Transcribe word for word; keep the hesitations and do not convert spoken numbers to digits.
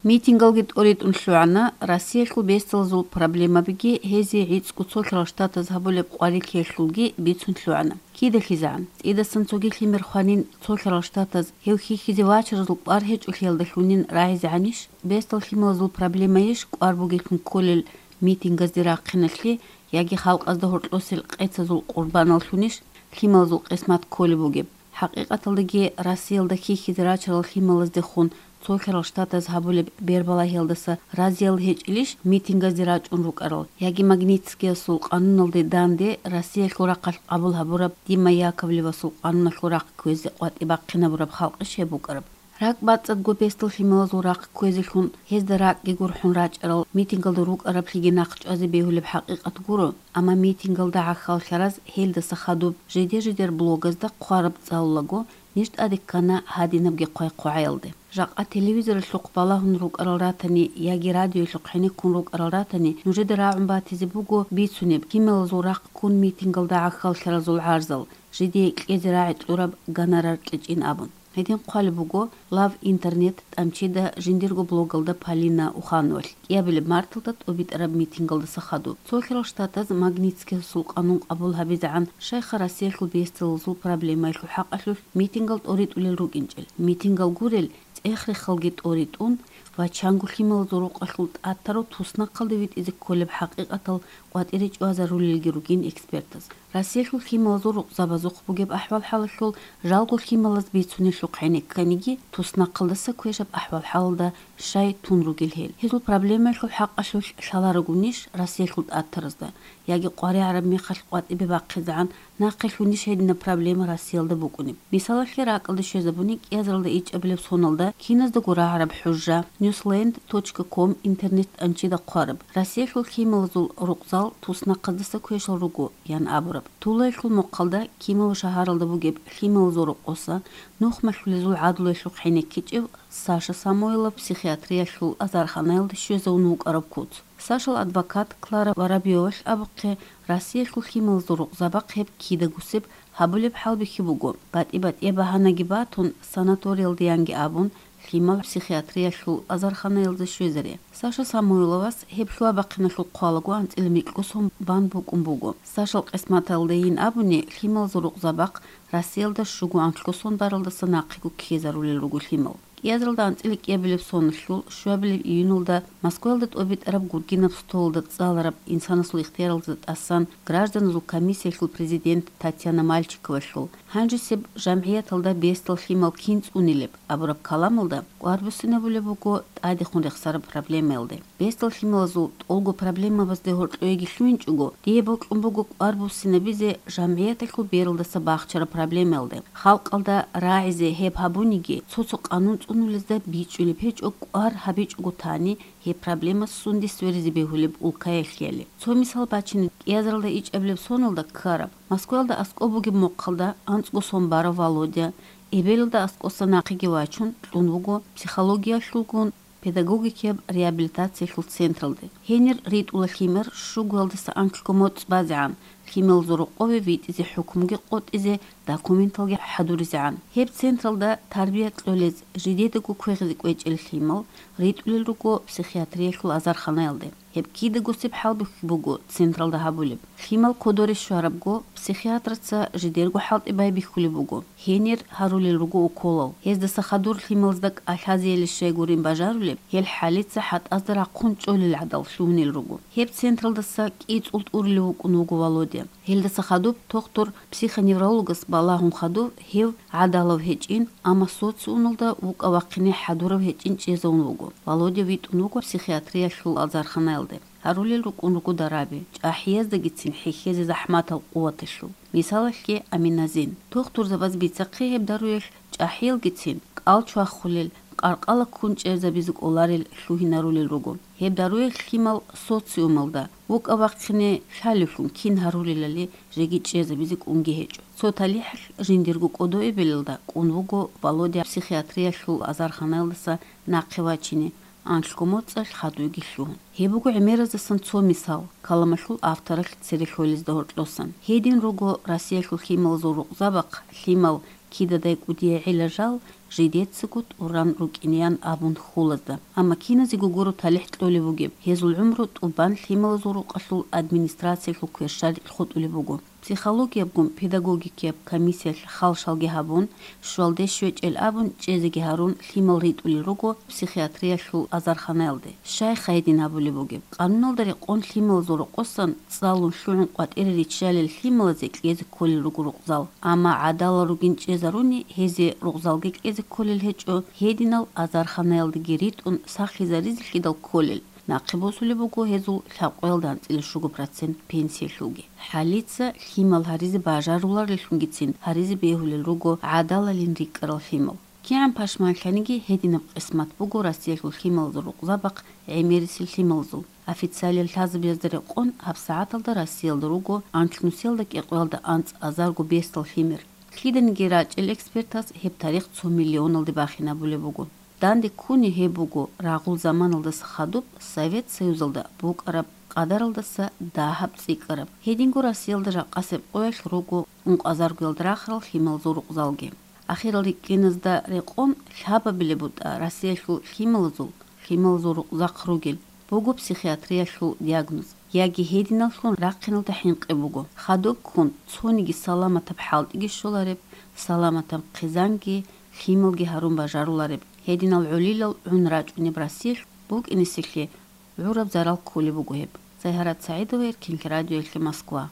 Митингалги тӀоритӀун лъугӀана, Россиялъул бесдалазул проблемабиги гьезие гӀицӀго цо лъарал штатаз гьабулеб къварилъиялъулги бицун лъугӀана. КидалъизегӀан, цӀидасан цоги лъимер хванин цо лъарал штатаз гьев хьихьизе вачаразул кӀвар гьечӀолъиялдалъунин рагӀизегӀанищ, бесдал лъималазул проблемайищ кӀвар бугеблъун кколел митингазде рахъиналъе, яги халкъазда гьоркьосел къецазул къурбаналлъунищ лъималазул къисмат кколеб бугеб? ХӀакъикъаталдаги, Россиялда хьихьизе рачарал лъималаздехун цо лъарал штатаз гьабулеб бербалагьиялдаса разиял гьечӀелищ митингазде рачӀун рукӀарал, яги Магнитскиясул къануналде данде Россиялъул рахъалъ къабул гьабураб Дима Яковлевасул къануналъул рахъ кквезе къватӀибахъинабураб халкъищ гьеб букӀараб? РакӀбацӀцӀадго бесдал лъималазул рахъ кквезелъун, гьезда ракӀги гурхӀун рачӀарал митингалда рукӀараблъиги нахъ чӀвазе бегьулеб хӀакъикъат гуро, амма митингалда гӀахьаллъараз гьелдаса хадуб жидер-жидер блогазда хъвараб цӀалулаго, ниж тӀаде ккана гьадинабги хъвай-хъвагӀаялде. Жакъа телевизоралъухъ балагьун рукӀарал ратани яги радиоялъухъ гӀенеккун рукӀарал ратани, нужеда рагӀун батизе буго бицунеб лъималазул рахъ ккун митингалда гӀахьаллъаразул гӀарзал, жидее кьезе рагӀи кьураб гонорар кьечӀин абун. Гьедин хъвалеб буго Лав Интернет тӀамчида жиндирго блогалда Полина Ухановалъ кӀиабилеб марталда тӀобитӀараб митингалдаса хадуб. Цо лъарал штатаз Магнитскиясул къанун къабул гьабизегӀан щайха Россиялъул бесдалазул проблемаялъул хӀакъалъулъ митингал тӀоритӀулел рукӀинчӀел. Митингал гурел, цӀех-рехалги тӀоритӀун ва чанго лъималазул рукъалъул тӀатарав туснахъалде витӀизе кколеб хӀакъикъатал къватӀире чӀвазарулелги ругин экспертаз. Россиялъул лъималазул рукъзабазухъ бугеб ахӀвал-хӀалалъул жалго лъималаз бицунелъухъ гӀенекканиги, туснахъалдаса квешаб ахӀвал-хӀалалда щай тун ругел гьел. Гьезул проблемаялъул хӀакъалъулъ лъаларогунищ Россиялъул тӀатаразда, яги къваригӀараб мехалъ къватӀибе бахъизегӀан нахъе лъунищ гьединаб проблема Россиялда букӀунеб? Мисалалъе, ракӀалде щвезабуни кӀиазаралда ичӀабилеб соналда киназдаго рагӀараб хӀужа, ньюсленд точка ком интернет тӀанчида хъвараб, Россиялъул лъималазул рукъзал туснахъаздаса квешал руго, ян абураб. Тулаялъул мухъалда кимав шагьаралда бугеб лъималазул рокъоса нухмалъулезул гӀадлуялъухъ гӀенеккичӀев Саша Самойлов психиатриялъул азарханаялда щвезавун вукӀараб куц. Сашал адвокат Клара Воробьёвалъ абухъе, Россиялъул лъималазул рукъзабахъ гьеб кидагусеб гьабулеб хӀалбихьи буго, батӀи-батӀияб багьанаги батун, санаториялда янги абун, лъимал психиатриялъул азарханаялда щвезаре. Саша Самойловас гьеб лъугьа-бахъиналъул хъвалаго анцӀила микьго сон бан букӀун буго. Сашал къисматалдайин абуни, лъималазул рукъзабахъ Россиялда щуго анлъго сон баралдаса нахъего ккезарулел руго лъимал. КӀиазаралда анцӀила кӀиабилеб соналъул щуабилеб июньалда Москваялда тӀобитӀараб гургинаб столалда цӀалараб инсанасул ихтияралда тӀасан гражданазул комиссиялъул президент Татьяна Мальчиковалъул, гьанжесеб жамгӀияталда бесдал лъимал кин цӀунилеб абураб каламалда кӀвар буссинабулеб буго тӀадехун рехсараб проблемаялде. Бесдал лъималазул тӀолго проблемабазде гьоркьоеги лъугьинчӀого, дие бокьун буго кӀвар буссинабизе жамгӀияталъул бералдаса бахчараб проблемаялде. Халкъалда рагӀизе гьеб гьабуниги, цо-цо къанун цӀунулезда бичӀчӀулеб гьечӀо кӀвар гьабичӀого тани, гьеб проблема сунде сверизе бегьулеб улкаялъяли. Цо мисал бачине, кӀиазаралда ичӀабилеб соналда ккараб. Москваялда аскӀоб бугеб мухъалда анцӀго сон барав Володя, эбелалда аскӀоса нахъеги вачун, кьун вуго психологиялъулгун, педагогикияб реабилитациялъул централде. Гьенир ритӀула лъимер щугоялдаса анлъго моцӀ базегӀан, лъималазул рокъове витӀизе хӀукмуги къотӀизе, документалги хӀадуризегӀан. Гьеб централда тарбия кьолез жидедаго квегъизе кӀвечӀел лъимал ритӀулел руго психиатриялъул азарханаялде. Гьеб кидагусеб хӀалбихьи буго централда гьабулеб. Лъимал кодоре щварабго, психиатраца жидерго хӀалтӀи байбихьулеб буго. Гьенир гьарулел руго уколал. Гьездаса хадур лъималазда кӀалъазеяли щай гурин бажарулеб, гьел хӀалица хӀатӀазда рахъун чӀолел гӀадал лъугьунел руго. Гьеб централдаса кӀицӀул тӀурулев вукӀун вуго Володя. Гьелдаса хадуб тухтур-психоневрологас балагьун хадув гьев гӀадалав гьечӀин, амма социумалда вукӀа-вахъине хӀадурав гьечӀин чӀезавун вуго. Володя витӀун вуго психиатриялъул азарханаялде. Гьарулел рукӀун руго дараби, чӀахӀияздагицин хӀехьезе захӀматал къуваталъул. Мисалалъе, аминазин. Тухтурзабаз бицахъе гьеб даруялъ чӀахӀиялгицин кӀал чвахулел, къаркъала ккун чӀезабизе кӀоларел лъугьинарулел руго. Гьеб даруялъ лъимал социумалда вукӀа-вахъине лъалевлъун кин гьарулелали жеги чӀезабизе кӀунги гьечӀо. Цо талихӀалъ жиндирго кӀодо эбелалда кӀун вуго Володя психиатриялъул азарханаялдаса нахъе вачине, анлъго моцӀалъ хадуйги лъугьун. Гьеб буго гӀемеразасан цо мисал, каламалъул авторалъ цере лъолезда гьоркьосан. Гьедин руго Россиялъул лъималазул рукъзабахъ лъимал кидадай кӀудияй гӀела жал жидецаго тӀуран рукӀинеян абун хьулазда. Амма киназего гуро талихӀ кьолеб бугеб, гьезул гӀумру тӀубан лъималазул рукъалъул администрациялъул кверщаликь хутӀулеб буго. Психологиябгун педагогикияб комиссиялъ халшалги гьабун, щвалде щвечӀел абун чӀезеги гьарун лъимал ритӀулел руго психиатриялъул азарханаялде. Щайха гьедин абулеб бугеб? Къануналда рекъон лъималазул рокъосан цӀалун лъугӀун къватӀире риччалел лъималазе кьезе кколел руго рукъзал. Амма гӀадалал ругин чӀезаруни гьезие рукъзалги кьезе кколел гьечӀо, гьединал азарханаялдеги ритӀун сахлъизаризелъидал кколел. Нахъе босулеб буго гьезул лъабкъоялда анцӀила щуго процент пенсиялъулги. ХӀалица лъимал гьаризе бажарулареллъунгицин гьаризе бегьулел руго гӀадалалин рикӀкӀарал лъимал. КигӀан пашманлъаниги гьединаб къисмат буго Россиялъул лъималазул рукъзабахъ гӀемерисел лъималазул. Официалияб лъазабиязда рекъон гьабсагӀаталда Россиялда руго анлънусиялда кӀикъоялда анцӀазарго бесдал лъимер. Лъиданиги рачӀел экспертас гьеб тарих цо миллионалде бахинабулеб буго. Данде ккуни гьеб буго рагъул заманалдаса хадуб Совет Союзалда букӀараб къадаралдаса дагьаб цӀикӀкӀараб. Гьединго Россиялда жакъасеб къоялъ руго ункъазаргоялда рахарал лъималазул рукъзалги. Ахирал рикӀкӀиназда рекъон лъабабилеб бутӀа Россиялъул лъималазул, лъималазул рукъзахъ ругел буго психиатриялъул диагноз, яги гьединаллъун рахъиналда хӀинкъи буго. Хадуб ккун цониги саламатаб хӀалтӀиги щолареб, саламатаб хъизанги, лъималги гьарун бажарулареб. Гьединал гӀолилал гӀун рачӀунеб Россиялъ букӀинесеблъи гӀураб зарал кколеб буго гьеб. Сайгьарат СагӀидова, Эркинлъи радиоялъе, Москва.